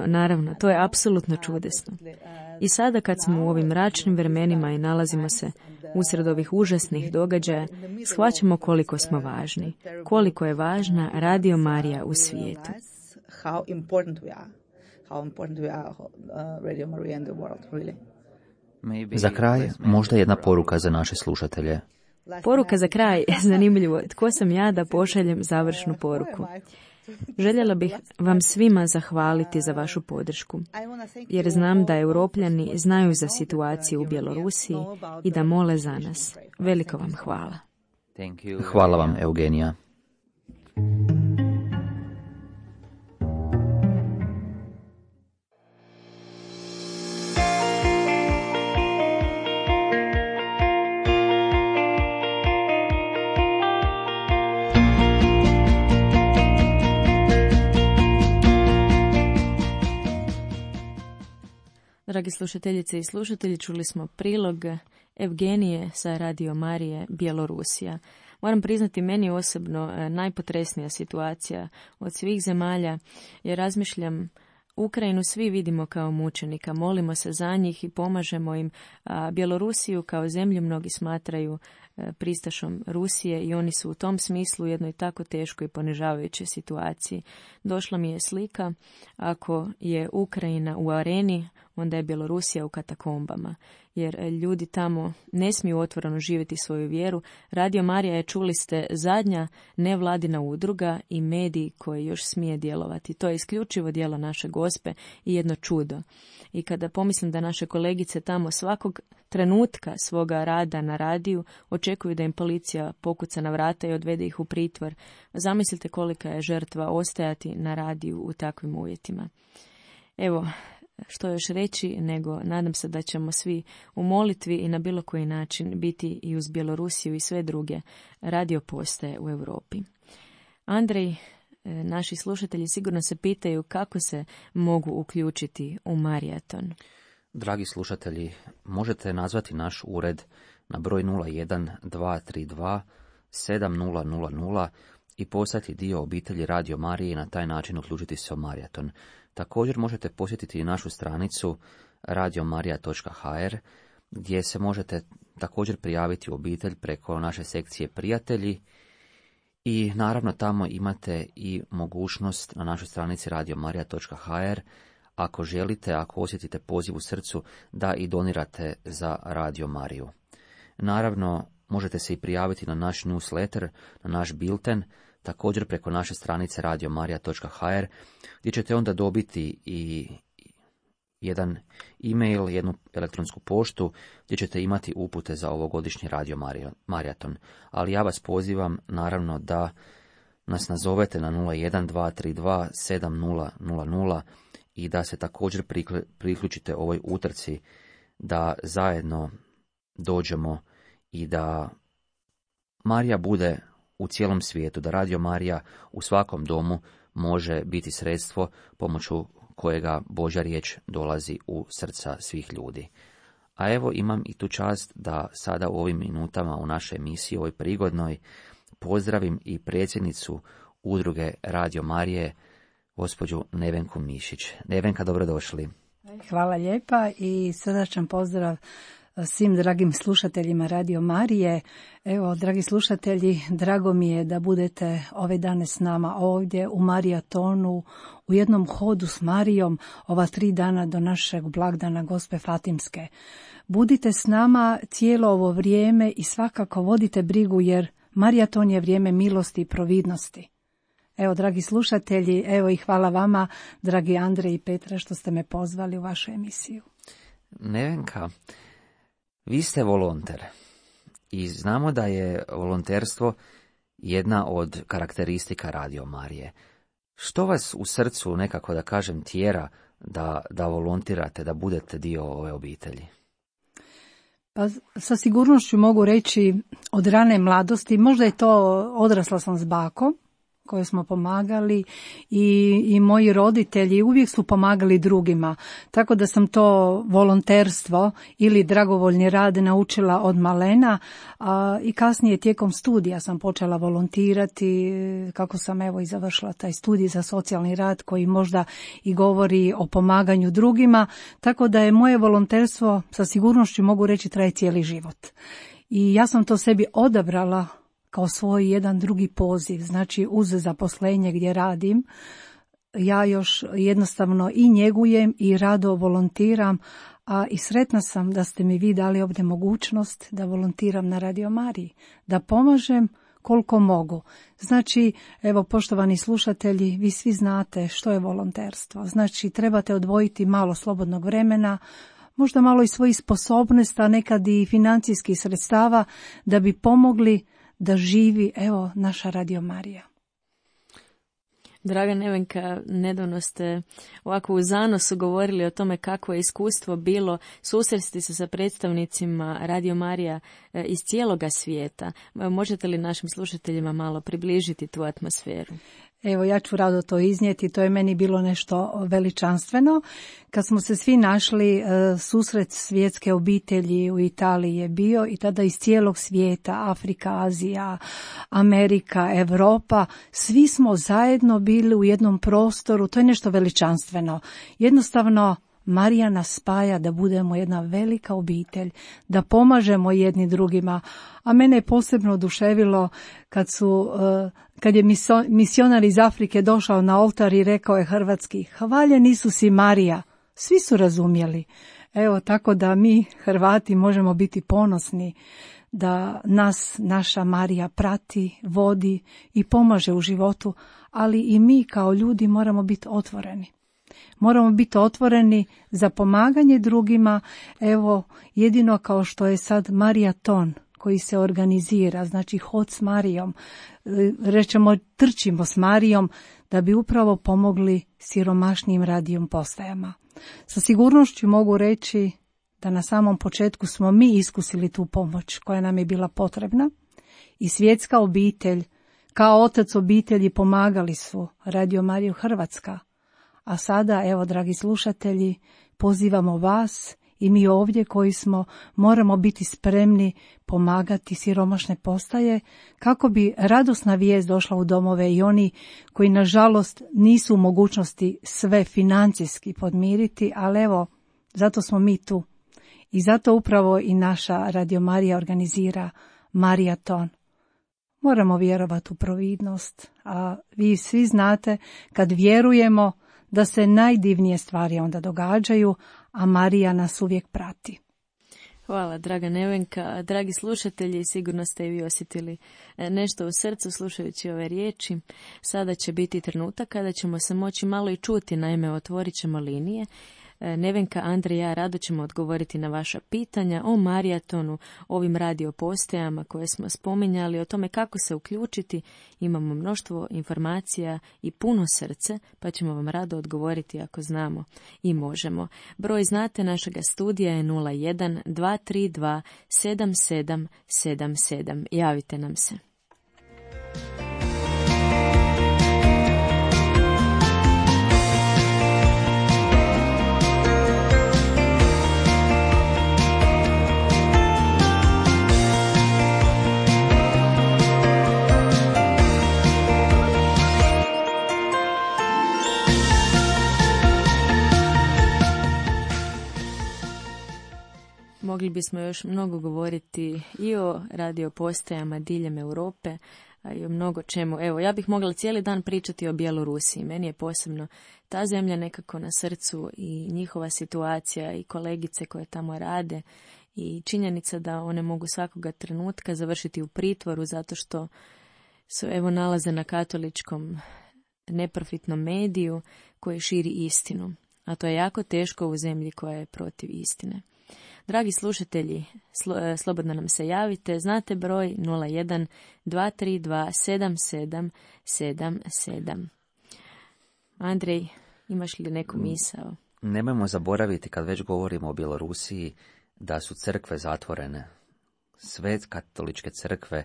Naravno, to je apsolutno čudesno. I sada kad smo u ovim mračnim vremenima i nalazimo se usred ovih užasnih događaja, shvaćamo koliko smo važni, koliko je važna Radio Marija u svijetu. Za kraj, možda jedna poruka za naše slušatelje. Poruka za kraj, zanimljivo, tko sam ja da pošaljem završnu poruku? Željela bih vam svima zahvaliti za vašu podršku, jer znam da Europljani znaju za situaciju u Bjelorusiji i da mole za nas. Veliko vam hvala. Hvala vam, Eugenija. Dragi slušateljice i slušatelji, čuli smo prilog Evgenije sa Radio Marije Bjelorusija. Moram priznati, meni osobno najpotresnija situacija od svih zemalja, jer razmišljam, Ukrajinu svi vidimo kao mučenika, molimo se za njih i pomažemo im, a Bjelorusiju kao zemlju mnogi smatraju pristašom Rusije i oni su u tom smislu u jednoj tako teškoj i ponižavajućoj situaciji. Došla mi je slika, ako je Ukrajina u areni, onda je Bjelorusija u katakombama, jer ljudi tamo ne smiju otvoreno živjeti svoju vjeru. Radio Marija je, čuli ste, zadnja nevladina udruga i medij koji još smije djelovati. To je isključivo djelo naše Gospe i jedno čudo. I kada pomislim da naše kolegice tamo svakog trenutka svoga rada na radiju očekuju da im policija pokuca na vrata i odvede ih u pritvor, zamislite kolika je žrtva ostajati na radiju u takvim uvjetima. Evo, što još reći, nego nadam se da ćemo svi u molitvi i na bilo koji način biti i uz Bjelorusiju i sve druge radio postaje u Europi. Andrej, naši slušatelji sigurno se pitaju kako se mogu uključiti u Marijaton. Dragi slušatelji, možete nazvati naš ured na broj 01 232 7000 i postati dio obitelji Radio Marije i na taj način uključiti se u Marijaton. Također možete posjetiti i našu stranicu radiomarija.hr gdje se možete također prijaviti u obitelj preko naše sekcije prijatelji i naravno tamo imate i mogućnost na našoj stranici radiomarija.hr ako želite, ako osjetite poziv u srcu da i donirate za Radio Mariju. Naravno, možete se i prijaviti na naš newsletter, na naš bilten, također preko naše stranice radiomarija.hr, gdje ćete onda dobiti i jedan e-mail, jednu elektronsku poštu, gdje ćete imati upute za ovogodišnji Radio Marijaton. Ali ja vas pozivam, naravno, da nas nazovete na 01232 7000 i da se također priključite ovoj utrci, da zajedno dođemo i da Marija bude u cijelom svijetu, da Radio Marija u svakom domu može biti sredstvo pomoću kojega Božja riječ dolazi u srca svih ljudi. A evo, imam i tu čast da sada u ovim minutama u našoj emisiji, ovoj prigodnoj, pozdravim i predsjednicu udruge Radio Marije, gospođu Nevenku Mišić. Nevenka, dobrodošli. Hvala lijepa i srdačan pozdrav svim dragim slušateljima Radio Marije. Evo, dragi slušatelji, drago mi je da budete ove dane s nama ovdje u Marijatonu, u jednom hodu s Marijom, ova 3 dana do našeg blagdana Gospe Fatimske. Budite s nama cijelo ovo vrijeme i svakako vodite brigu, jer Marijaton je vrijeme milosti i providnosti. Evo, dragi slušatelji, evo i hvala vama, dragi Andrej i Petra, što ste me pozvali u vašu emisiju. Nevenka, vi ste volonter i znamo da je volonterstvo jedna od karakteristika Radio Marije. Što vas u srcu, nekako da kažem, tjera da volontirate, da budete dio ove obitelji? Pa sa sigurnošću mogu reći od rane mladosti, možda je to, odrasla sam s bakom koje smo pomagali i moji roditelji uvijek su pomagali drugima, tako da sam to volonterstvo ili dragovoljni rad naučila od malena, i kasnije tijekom studija sam počela volontirati, kako sam evo i završila taj studij za socijalni rad koji možda i govori o pomaganju drugima, tako da je moje volonterstvo, sa sigurnošću mogu reći, traje cijeli život. I ja sam to sebi odabrala kao svoj jedan drugi poziv, znači uz zaposlenje gdje radim, ja još jednostavno i njegujem i rado volontiram, a i sretna sam da ste mi vi dali ovdje mogućnost da volontiram na Radio Mariji, da pomažem koliko mogu. Znači, evo, poštovani slušatelji, vi svi znate što je volonterstvo. Znači, trebate odvojiti malo slobodnog vremena, možda malo i svojih sposobnosti, a nekad i financijskih sredstava, da bi pomogli da živi, evo, naša Radio Marija. Draga Nevenka, nedavno ste ovako u zanosu govorili o tome kako je iskustvo bilo susresti se sa predstavnicima Radio Marija iz cijeloga svijeta. Možete li našim slušateljima malo približiti tu atmosferu? Evo, ja ću rado to iznijeti, to je meni bilo nešto veličanstveno. Kad smo se svi našli, susret svjetske obitelji u Italiji je bio i tada iz cijelog svijeta, Afrika, Azija, Amerika, Europa, svi smo zajedno bili u jednom prostoru, to je nešto veličanstveno. Jednostavno, Marija nas spaja da budemo jedna velika obitelj, da pomažemo jedni drugima, a mene je posebno oduševilo kad je misionar iz Afrike došao na oltar i rekao je hrvatski: "Hvaljen Isus i Marija." Svi su razumjeli. Evo, tako da mi Hrvati možemo biti ponosni da nas naša Marija prati, vodi i pomaže u životu, ali i mi kao ljudi moramo biti otvoreni. Moramo biti otvoreni za pomaganje drugima, evo, jedino kao što je sad Marijaton koji se organizira, znači hod s Marijom, rečemo trčimo s Marijom, da bi upravo pomogli siromašnijim radijom postajama. Sa sigurnošću mogu reći da na samom početku smo mi iskusili tu pomoć koja nam je bila potrebna i svjetska obitelj, kao otac obitelji, pomagali su Radio Mariju Hrvatska. A sada, evo, dragi slušatelji, pozivamo vas i mi ovdje koji smo, moramo biti spremni pomagati siromašne postaje kako bi radosna vijest došla u domove i oni koji nažalost nisu u mogućnosti sve financijski podmiriti, ali evo, zato smo mi tu. I zato upravo i naša Radio Marija organizira Marijaton. Moramo vjerovati u providnost, a vi svi znate, kad vjerujemo da se najdivnije stvari onda događaju, a Marija nas uvijek prati. Hvala, draga Nevenka. Dragi slušatelji, sigurno ste i vi osjetili nešto u srcu slušajući ove riječi. Sada će biti trenutak kada ćemo se moći malo i čuti, naime otvorit ćemo linije. Nevenka, Andrej i ja rado ćemo odgovoriti na vaša pitanja o marijatonu, ovim radio postajama koje smo spominjali, o tome kako se uključiti. Imamo mnoštvo informacija i puno srce, pa ćemo vam rado odgovoriti ako znamo i možemo. Broj znate našega studija je 01 232 7777. Javite nam se. Mogli bismo još mnogo govoriti i o radio postajama diljem Europe, a i o mnogo čemu. Evo, ja bih mogla cijeli dan pričati o Bjelorusiji. Meni je posebno ta zemlja nekako na srcu i njihova situacija i kolegice koje tamo rade i činjenica da one mogu svakoga trenutka završiti u pritvoru zato što se evo nalaze na katoličkom neprofitnom mediju koji širi istinu. A to je jako teško u zemlji koja je protiv istine. Dragi slušatelji, slobodno nam se javite. Znate broj 01 232 7777. Andrej, imaš li neku misao? Nemojmo zaboraviti, kad već govorimo o Bjelorusiji, da su crkve zatvorene. Sve katoličke crkve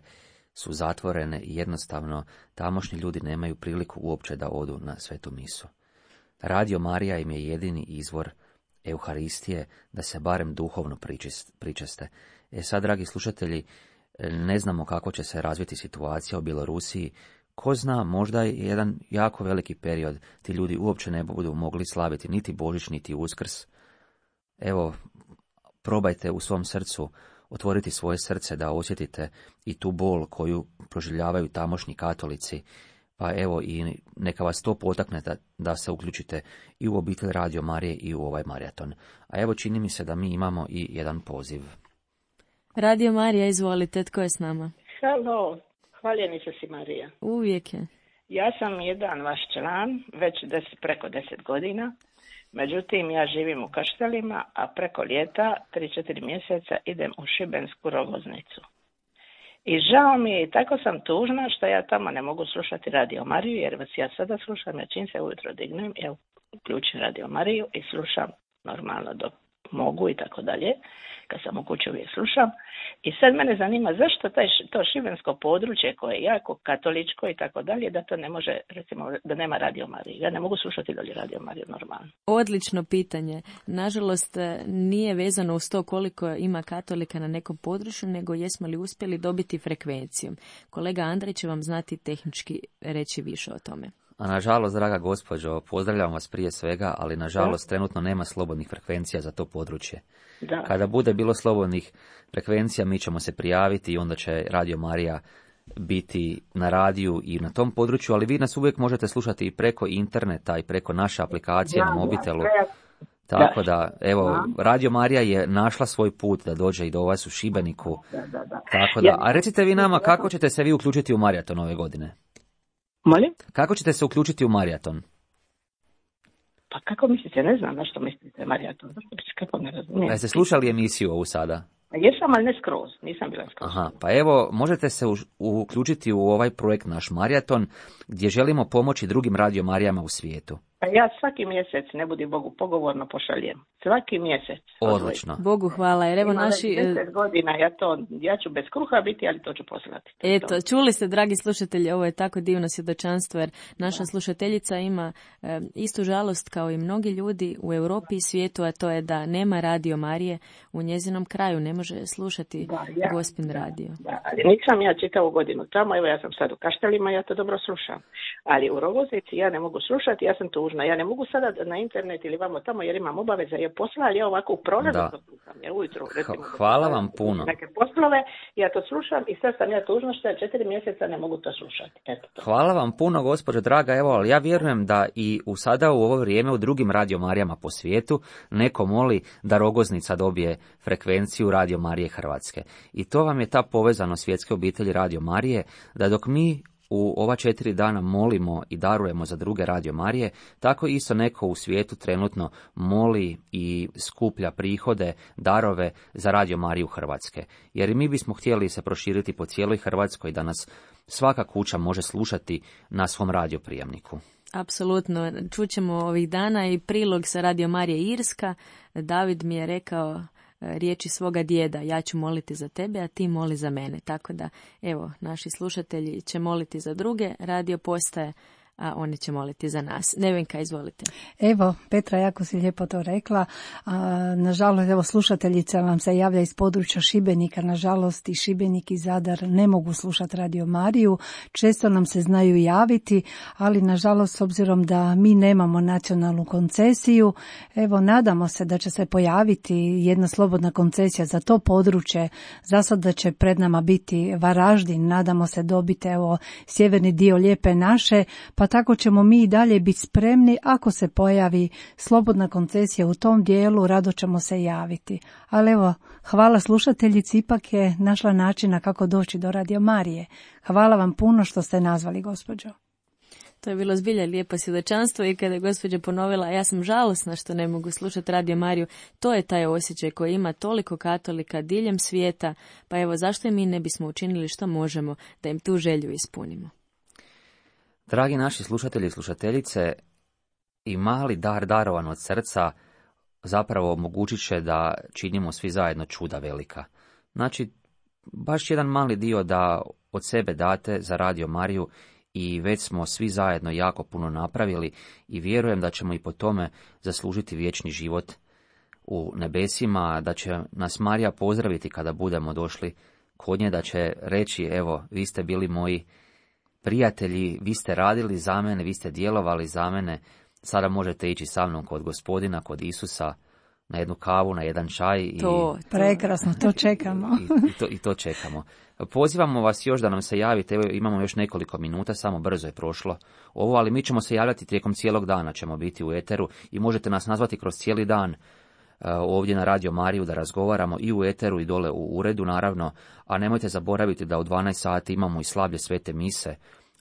su zatvorene i jednostavno tamošnji ljudi nemaju priliku uopće da odu na svetu misu. Radio Marija im je jedini izvor Euharistije, da se barem duhovno pričeste. Sad, dragi slušatelji, ne znamo kako će se razviti situacija u Bjelorusiji. Ko zna, možda je jedan jako veliki period, ti ljudi uopće ne budu mogli slaviti niti Božić, niti Uskrs. Evo, probajte u svom srcu otvoriti svoje srce da osjetite i tu bol koju proživljavaju tamošnji katolici. Pa evo, i neka vas to potakne da se uključite i u obitelj Radio Marije i u ovaj maraton. A evo, čini mi se da mi imamo i jedan poziv. Radio Marija, izvolite, tko je s nama? Halo, hvaljenica si Marija. Uvijek je. Ja sam jedan vaš član, već preko 10 godina. Međutim, ja živim u Kaštelima, a preko ljeta, 3-4 mjeseca, idem u Šibensku Rogoznicu. I žao mi je, i tako sam tužna što ja tamo ne mogu slušati Radio Mariju, jer vas ja sada slušam, ja čim se ujutro dignem, ja uključim Radio Mariju i slušam normalno dok mogu i tako dalje. Kad sam u kući uvijek slušam. I sad mene zanima zašto to šibensko područje koje je jako katoličko i tako dalje, da to ne može, recimo, da nema Radio Marije. Ja ne mogu slušati dalje Radio Mariju normalno. Odlično pitanje. Nažalost, nije vezano uz to koliko ima katolika na nekom području, nego jesmo li uspjeli dobiti frekvenciju. Kolega Andrej će vam znati tehnički reći više o tome. A nažalost, draga gospođo, pozdravljam vas prije svega, ali nažalost trenutno nema slobodnih frekvencija za to područje. Da. Kada bude bilo slobodnih frekvencija, mi ćemo se prijaviti i onda će Radio Marija biti na radiju i na tom području, ali vi nas uvijek možete slušati i preko interneta i preko naše aplikacije na mobitelu. Tako da, evo, Radio Marija je našla svoj put da dođe i do vas u Šibeniku. Tako da, a recite vi nama kako ćete se vi uključiti u maraton ove godine? Molim? Kako ćete se uključiti u maraton? Pa kako mislite, ne znam na što mislite maraton, kako ne razumijem. Jeste slušali emisiju ovu sada? Jesam, ali ne skroz, nisam bila skroz. Aha, pa evo, možete se uključiti u ovaj projekt naš maraton, gdje želimo pomoći drugim Radio Marijama u svijetu. Pa ja svaki mjesec, ne budi Bogu, pogovorno pošaljem. Svaki mjesec. Odlično. Bogu hvala, jer evo naši... 10 godina, ja ću bez kruha biti, ali to ću poslati. Eto, čuli ste, dragi slušatelji, ovo je tako divno svjedočanstvo, jer naša slušateljica ima istu žalost kao i mnogi ljudi u Europi i svijetu, a to je da nema Radio Marije u njezinom kraju, ne može slušati Gospin radio. Da, ali nisam ja čitavu godinu tamo, evo ja sam sad u Kaštelima, ja to dobro slušam. Ali u Rogoznici ja ne mogu slušati, ja sam tu tužna. Ja ne mogu sada na internet ili vamo tamo jer imam obaveze, jer posla, ali ja ovako u prolazu to slušam. Ja ujutro, recimo, hvala vam puno. Neke poslove, ja to slušam i sad sam ja tužna što ja 4 mjeseca ne mogu to slušati. Eto to. Hvala vam puno, gospođo draga. Evo, ali ja vjerujem da i sada u ovo vrijeme u drugim Radio Marijama po svijetu neko moli da Rogoznica dobije frekvenciju Radio Marije Hrvatske. I to vam je ta povezanost svjetske obitelji Radio Marije, da dok mi u ova 4 dana molimo i darujemo za druge Radio Marije, tako isto neko u svijetu trenutno moli i skuplja prihode, darove za Radio Mariju Hrvatske. Jer mi bismo htjeli se proširiti po cijeloj Hrvatskoj, da nas svaka kuća može slušati na svom radioprijemniku. Apsolutno. Čućemo ovih dana i prilog sa Radio Marije Irska. David mi je rekao riječi svoga djeda, ja ću moliti za tebe, a ti moli za mene. Tako da, evo, naši slušatelji će moliti za druge radio postaje, a oni će moliti za nas. Nevenka, izvolite. Evo, Petra, jako si lijepo to rekla. Nažalost, evo, slušateljica nam se javlja iz područja Šibenika. Nažalost, i Šibenik i Zadar ne mogu slušati Radio Mariju. Često nam se znaju javiti, ali nažalost, s obzirom da mi nemamo nacionalnu koncesiju, evo, nadamo se da će se pojaviti jedna slobodna koncesija za to područje. Za sada će pred nama biti Varaždin. Nadamo se dobiti, evo, sjeverni dio Lijepe naše, pa tako ćemo mi i dalje biti spremni. Ako se pojavi slobodna koncesija u tom dijelu, rado ćemo se javiti. Ali evo, hvala slušateljici, ipak je našla načina kako doći do Radio Marije. Hvala vam puno što ste nazvali, gospođo. To je bilo zbilja lijepo svjedočanstvo i kada je gospođa ponovila, ja sam žalosna što ne mogu slušati Radio Mariju, to je taj osjećaj koji ima toliko katolika diljem svijeta, pa evo zašto i mi ne bismo učinili što možemo da im tu želju ispunimo. Dragi naši slušatelji i slušateljice, i mali dar darovan od srca zapravo omogućit će da činimo svi zajedno čuda velika. Znači, baš jedan mali dio da od sebe date za Radio Mariju i već smo svi zajedno jako puno napravili i vjerujem da ćemo i po tome zaslužiti vječni život u nebesima, da će nas Marija pozdraviti kada budemo došli kod nje, da će reći, evo, vi ste bili moji prijatelji, vi ste radili za mene, vi ste djelovali za mene, sada možete ići sa mnom kod Gospodina, kod Isusa, na jednu kavu, na jedan čaj. Prekrasno, to čekamo. I to čekamo. Pozivamo vas još da nam se javite, evo imamo još nekoliko minuta, samo brzo je prošlo ovo, ali mi ćemo se javljati tijekom cijelog dana, ćemo biti u eteru i možete nas nazvati kroz cijeli dan ovdje na Radio Mariju da razgovaramo i u eteru i dole u uredu naravno, a nemojte zaboraviti da u 12 sati imamo i slavlje svete mise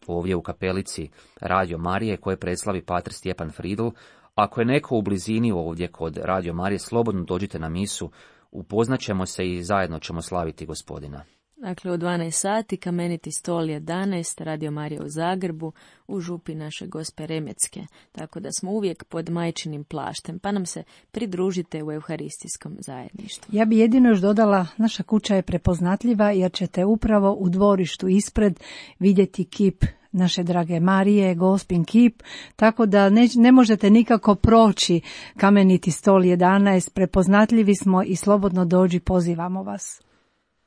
ovdje u kapelici Radio Marije koje preslavi pater Stjepan Fridl. Ako je neko u blizini ovdje kod Radio Marije, slobodno dođite na misu, upoznaćemo se i zajedno ćemo slaviti Gospodina. Dakle, u 12 sati, Kameniti stol 11, Radio Marija u Zagrebu, u župi naše Gospe Remecke. Tako da smo uvijek pod majčinim plaštem, pa nam se pridružite u euharistijskom zajedništvu. Ja bi jedino još dodala, naša kuća je prepoznatljiva jer ćete upravo u dvorištu ispred vidjeti kip naše drage Marije, Gospin kip, tako da ne možete nikako proći Kameniti stol 11, prepoznatljivi smo i slobodno dođi, pozivamo vas.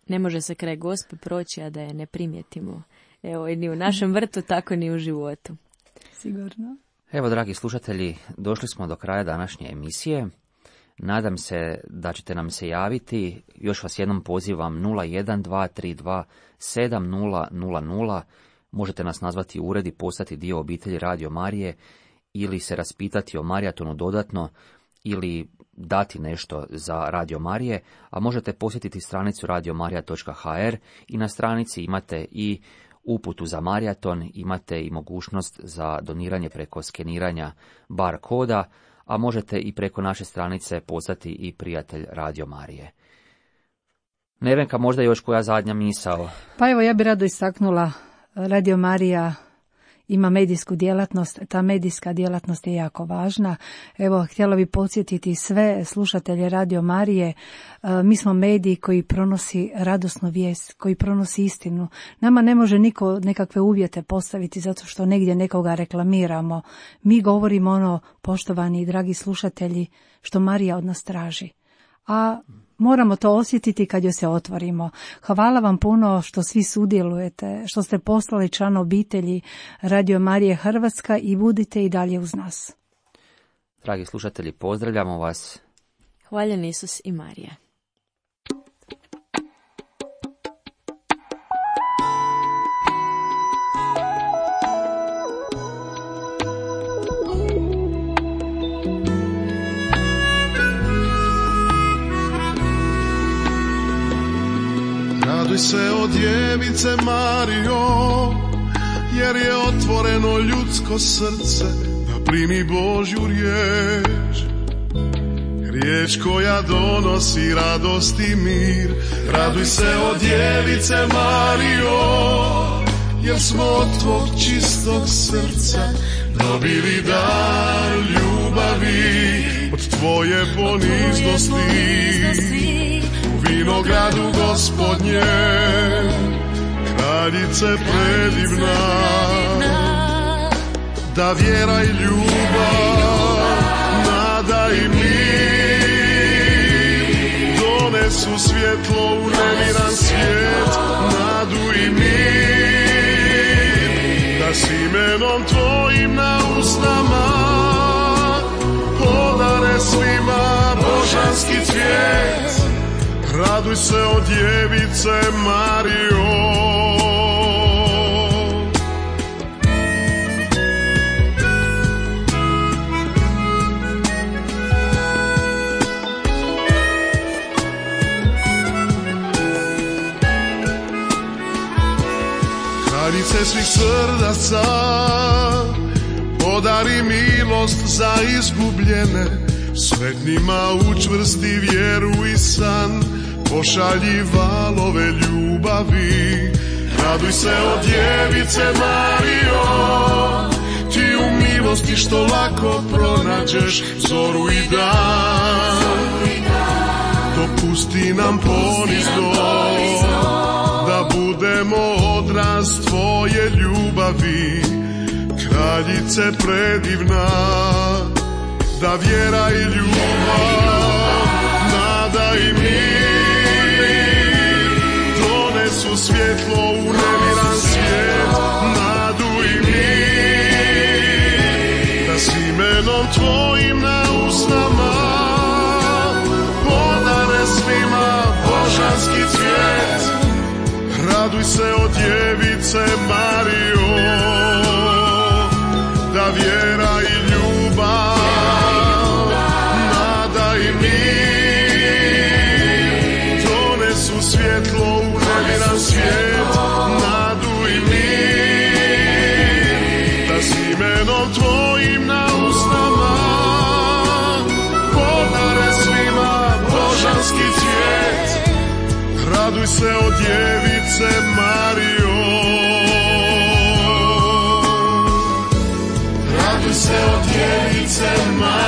Ne može se kraj Gospe proći, a da je ne primijetimo. Evo, ni u našem vrtu, tako ni u životu. Sigurno. Evo, dragi slušatelji, došli smo do kraja današnje emisije. Nadam se da ćete nam se javiti. Još vas jednom pozivam 01232 7000. Možete nas nazvati u ured i postati dio obitelji Radio Marije ili se raspitati o Marijatonu dodatno ili dati nešto za Radio Marije, a možete posjetiti stranicu radiomarija.hr i na stranici imate i uputu za Marijaton, imate i mogućnost za doniranje preko skeniranja bar koda, a možete i preko naše stranice postati i prijatelj Radio Marije. Nevenka, možda još koja zadnja misao? Pa evo, ja bih rado istaknula, Radio Marija ima medijsku djelatnost, ta medijska djelatnost je jako važna. Evo, htjela bi podsjetiti sve slušatelje Radio Marije, mi smo mediji koji pronosi radosnu vijest, koji pronosi istinu. Nama ne može niko nekakve uvjete postaviti zato što negdje nekoga reklamiramo. Mi govorimo ono, poštovani i dragi slušatelji, što Marija od nas traži. A moramo to osjetiti kad joj se otvorimo. Hvala vam puno što svi sudjelujete, što ste poslali član obitelji Radio Marije Hrvatska i budite i dalje uz nas. Dragi slušatelji, pozdravljamo vas. Hvaljen Isus i Marija. Raduj se o djevice Marijo, jer je otvoreno ljudsko srce da primi Božju riječ. Riječ koja donosi radost i mir. Raduj se o djevice Marijo, jer smo od tvog čistog srca dobili dar ljubavi. Od tvoje poniznosti u vinogradu Gospodnje, kraljice predivna, da vjera i ljubav, nada i mir donesu svjetlo u nemiran svijet, nadu i mir, da s imenom tvojim na usnama podare svima božanski cvijet. Raduj se o djevice Marijo. Kraljice svih srdaca, podari milost za izgubljene, sretnima učvrsti vjeru i san, pošalji valove ljubavi. Raduj se o djevice Marijo, ti u milosti što lako pronađeš zoru i dan. Dopusti nam ponizno da budemo odraz tvoje ljubavi, kraljice predivna, da vjera i ljubav, nada i mir donesu svjetlo u nemiran svijet, nadu i mir, da s imenom tvojim na usnama podare svima božanski cvijet. Raduj se o djevice Marijo, da vjera i ljubav, nada i mir donesu svjetlo u nemiran svijet, nadu i mir, da s imenom tvojim na usnama podare svima božanski cvijet. Raduj se o djevice Marijo. Raduj se o djevice Marijo.